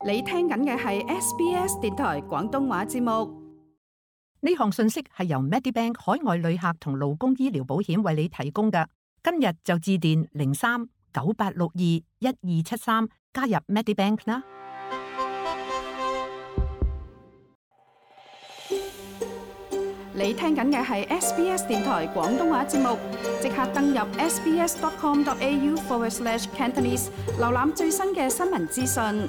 你聽緊嘅係 SBS 電台廣東話節目。呢項信息係由 Medibank 海外旅客同勞工醫療保險為你提供嘅。今日就致電03-9862-1273加入 Medibank 啦。你聽緊嘅係 SBS 電台廣東話節目，即刻登入 sbs.com.au/Cantonese 瀏覽最新嘅新聞資訊。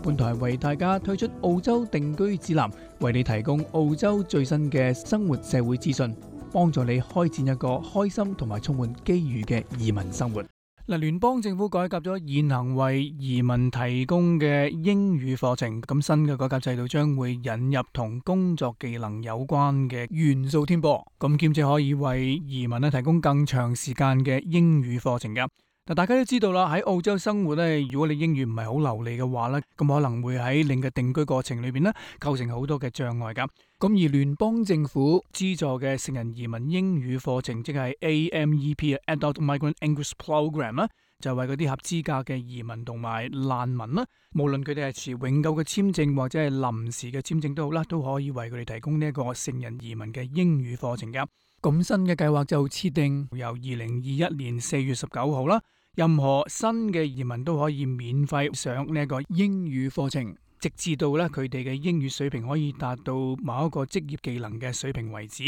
本台為大家推出澳洲定居指南，為你提供澳洲最新嘅生活社會資訊，幫助你開展一個開心同埋充滿機遇嘅移民生活。嗱，聯邦政府改革咗現行為移民提供嘅英語課程，咁新嘅改革制度將會引入同工作技能有關嘅元素添噃，咁兼且可以為移民提供更長時間嘅英語課程嘅。嗱，大家都知道啦，喺澳洲生活咧，如果你英語唔係好流利嘅話咧，咁可能會喺你嘅定居過程裏邊咧構成好多嘅障礙噶。咁而聯邦政府資助嘅成人移民英語課程，即係 AMEP（Adult Migrant English Program） 啦，就係為嗰啲合資格嘅移民同埋難民啦，無論佢哋係持永久嘅簽證或者係臨時嘅簽證都好啦，都可以為佢哋提供呢一個成人移民嘅英語課程噶。咁新嘅計劃就設定由2021年4月19號啦。任何新嘅移民都可以免費上呢一個英語課程，直至到咧佢哋嘅英語水平可以達到某一個職業技能嘅水平為止。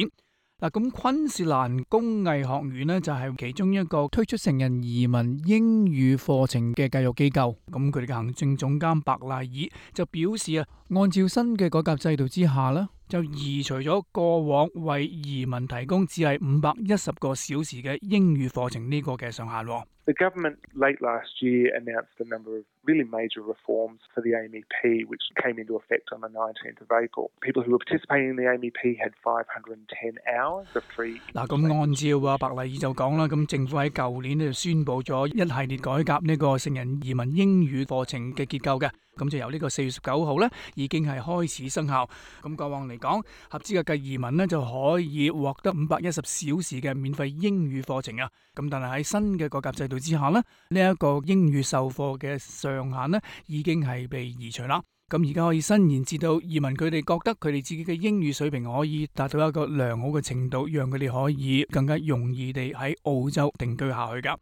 嗱，咁昆士蘭工藝學院呢，就係其中一個推出成人移民英語課程嘅教育機構。咁佢哋嘅行政總監白賴爾就表示啊，按照新嘅改革制度之下呢，就移除咗過往為移民提供只係510個小時嘅英語課程呢個嘅上限。The government late last year announced a number of really major reforms for the AMEP, which came into effect on the 19th of April. People who were participating in the AMEP had 510 hours of free. 嗱，咁按照白賴爾就講啦，咁政府喺舊年就宣布咗一系列改革呢個成人移民英語課程嘅結構嘅，咁就由呢個4月19號咧已經係開始生效。咁過往嚟講，合資格嘅移民呢就可以獲得510小時嘅免費英語課程啊。咁但係喺新嘅改革制度之下呢，呢一個英語授課嘅上限呢已經係被移除啦。咁而家可以伸延至到移民佢哋覺得佢哋自己嘅英語水平可以達到一個良好嘅程度，讓佢哋可以更加容易地喺澳洲定居下去噶。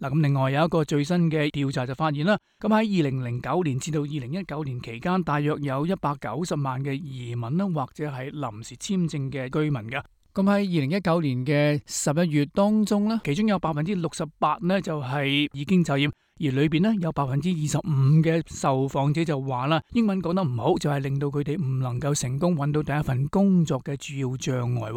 嗱，咁另外有一個最新嘅調查就發現啦，咁喺2009年至到2019年期間，大約有190萬嘅移民啦，或者係臨時簽證嘅居民噶。咁喺2019年嘅11月當中咧，其中有68%咧就係已經就業，而裏邊咧有25%嘅受訪者就話啦，英文講得唔好，就係令到佢哋唔能夠成功揾到第一份工作嘅主要障礙。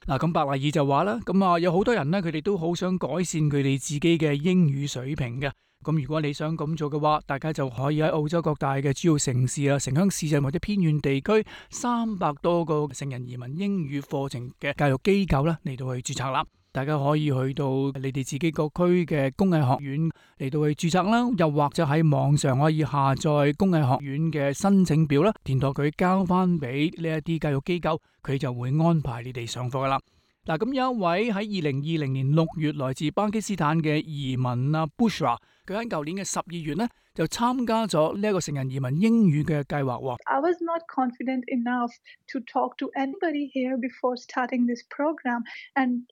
嗱，咁白賴爾就話啦，咁有好多人咧，佢哋都好想改善佢哋自己嘅英語水平嘅。咁如果你想咁做嘅話，大家就可以喺澳洲各大嘅主要城市啊、城鄉市鎮或者偏遠地區300多個成人移民英語課程嘅教育機構啦嚟到去註冊啦。大家可以去到你哋自己各區嘅工藝學院嚟到去註冊啦，又或者喺網上可以下載工藝學院嘅申請表啦，填妥佢交翻俾呢一啲教育機構，佢就會安排你哋上課噶啦。嗱，咁有一位喺2020年6月來自巴基斯坦嘅移民啊 Bushra， 佢喺舊年嘅12月呢就參加咗呢一個成人移民英語嘅計劃。I was not confident enough to talk to anybody here before starting this program, and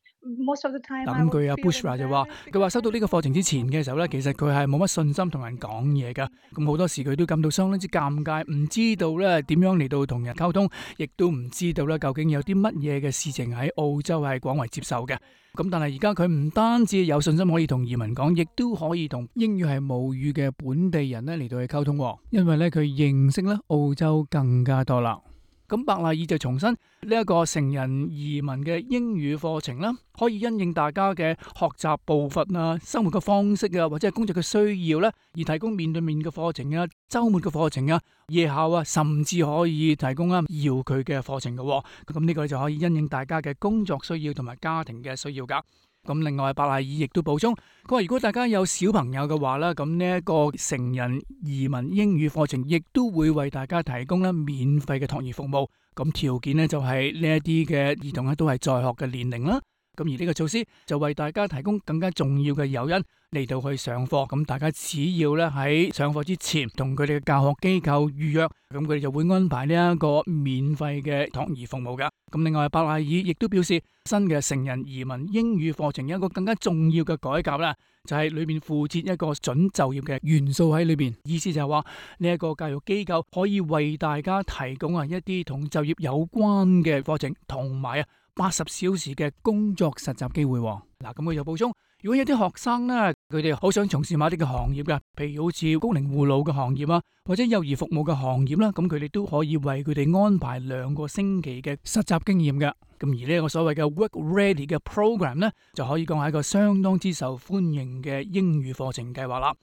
most of the time。嗱，咁佢阿 Bushra 就話，佢話收到呢個課程之前嘅時候咧，其實佢係冇乜信心同人講嘢噶，咁好多時佢都感到相當之尷尬，唔知道咧點樣嚟到同人溝通，亦都唔知道咧究竟有啲乜嘢嘅事情喺澳洲係廣為接受嘅。咁但係而家佢唔單止有信心可以同移民講，亦都可以同英語係母語嘅本地人咧嚟到去溝通，因為咧佢認識咧澳洲更加多啦。咁白賴爾就重申呢一個成人移民嘅英語課程啦，可以因應大家嘅學習步伐啊、生活嘅方式啊，或者係工作嘅需要咧，而提供面對面嘅課程啊、週末嘅課程啊、夜校啊，甚至可以提供遙距嘅課程嘅。咁呢個就可以因應大家嘅工作需要同埋家庭嘅需要噶。咁另外，白賴爾亦都補充，佢話如果大家有小朋友嘅話咧，咁呢一個成人移民英語課程亦都會為大家提供咧免費嘅託兒服務。咁條件咧就係呢一啲嘅兒童咧都係在學嘅年齡啦。咁而呢個措施就為大家提供更加重要嘅誘因嚟到去上課。咁大家只要咧喺上課之前同佢哋嘅教學機構預約，咁佢哋就會安排呢一個免費嘅託兒服務噶。咁另外，伯賴爾亦都表示，新嘅成人移民英語課程有一個更加重要嘅改革啦，就係裏面附設一個準就業嘅元素喺裏邊。意思就係話呢一個教育機構可以為大家提供一啲同就業有關嘅課程，同埋80小時嘅工作實習機會。嗱，咁佢又補充，如果有啲學生呢，佢哋好想從事某啲嘅行業嘅，譬如好似高齡護老嘅行業啊，或者幼兒服務嘅行業啦，咁佢哋都可以為佢哋安排2個星期嘅實習經驗嘅。咁而呢個所謂嘅 Work Ready 嘅 program 呢，就可以講係一個相當之受歡迎嘅英語課程計劃啦。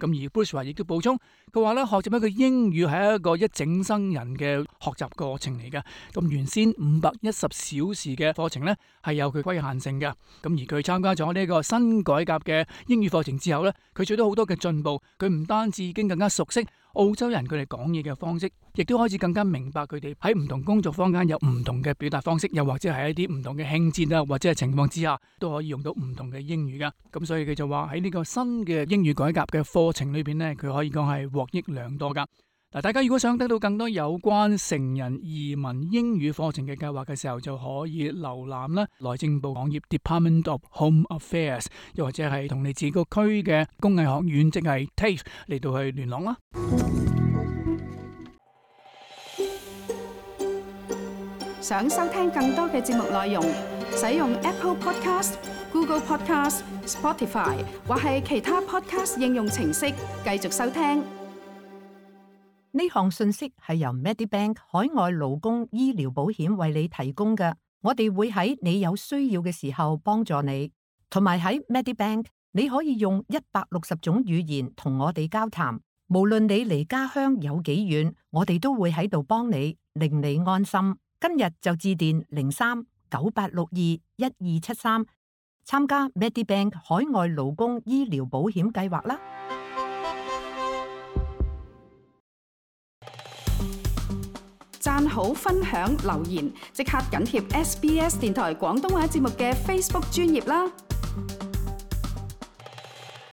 咁而 Bruce 話亦都補充，佢話咧學習一個英語係一個一整生人嘅學習過程嚟嘅。咁原先510小時嘅課程咧係有佢規限性嘅。咁而佢參加咗呢個新改革嘅英語課程之後咧，佢取得好多嘅進步。佢唔單止已經更加熟悉澳洲人佢哋講嘢嘅方式，亦都開始更加明白佢哋喺唔同工作坊間有唔同嘅表達方式，又或者係一啲唔同嘅興節啊，或者係情況之下都可以用到唔同嘅英語噶。咁所以佢就話喺呢個新嘅英語改革嘅課程裏邊呢，佢可以講係獲益良多噶。嗱，大家如果想得到更多有關成人移民英語課程嘅計劃嘅時候，就可以瀏覽啦內政部網頁 Department of Home Affairs， 又或者係同你自己個區嘅工藝學院，即係 TAFE 嚟到去聯絡啦。想收聽更多嘅節目內容，使用 Apple Podcast、Google Podcast、Spotify 或係其他 Podcast 應用程式繼續收聽。呢項信息係由 Medibank 海外勞工醫療保險為你提供嘅。我哋會喺你有需要嘅時候幫助你，同埋喺 Medibank 你可以用160種語言同我哋交談。無論你離家鄉有幾遠，我哋都會喺度幫你，令你安心。今日就致電03-9862-1273參加 Medibank 海外勞工醫療保險計劃啦。讚好、分享、留言，即刻緊貼SBS 電台廣東話節目嘅 Facebook 專頁啦！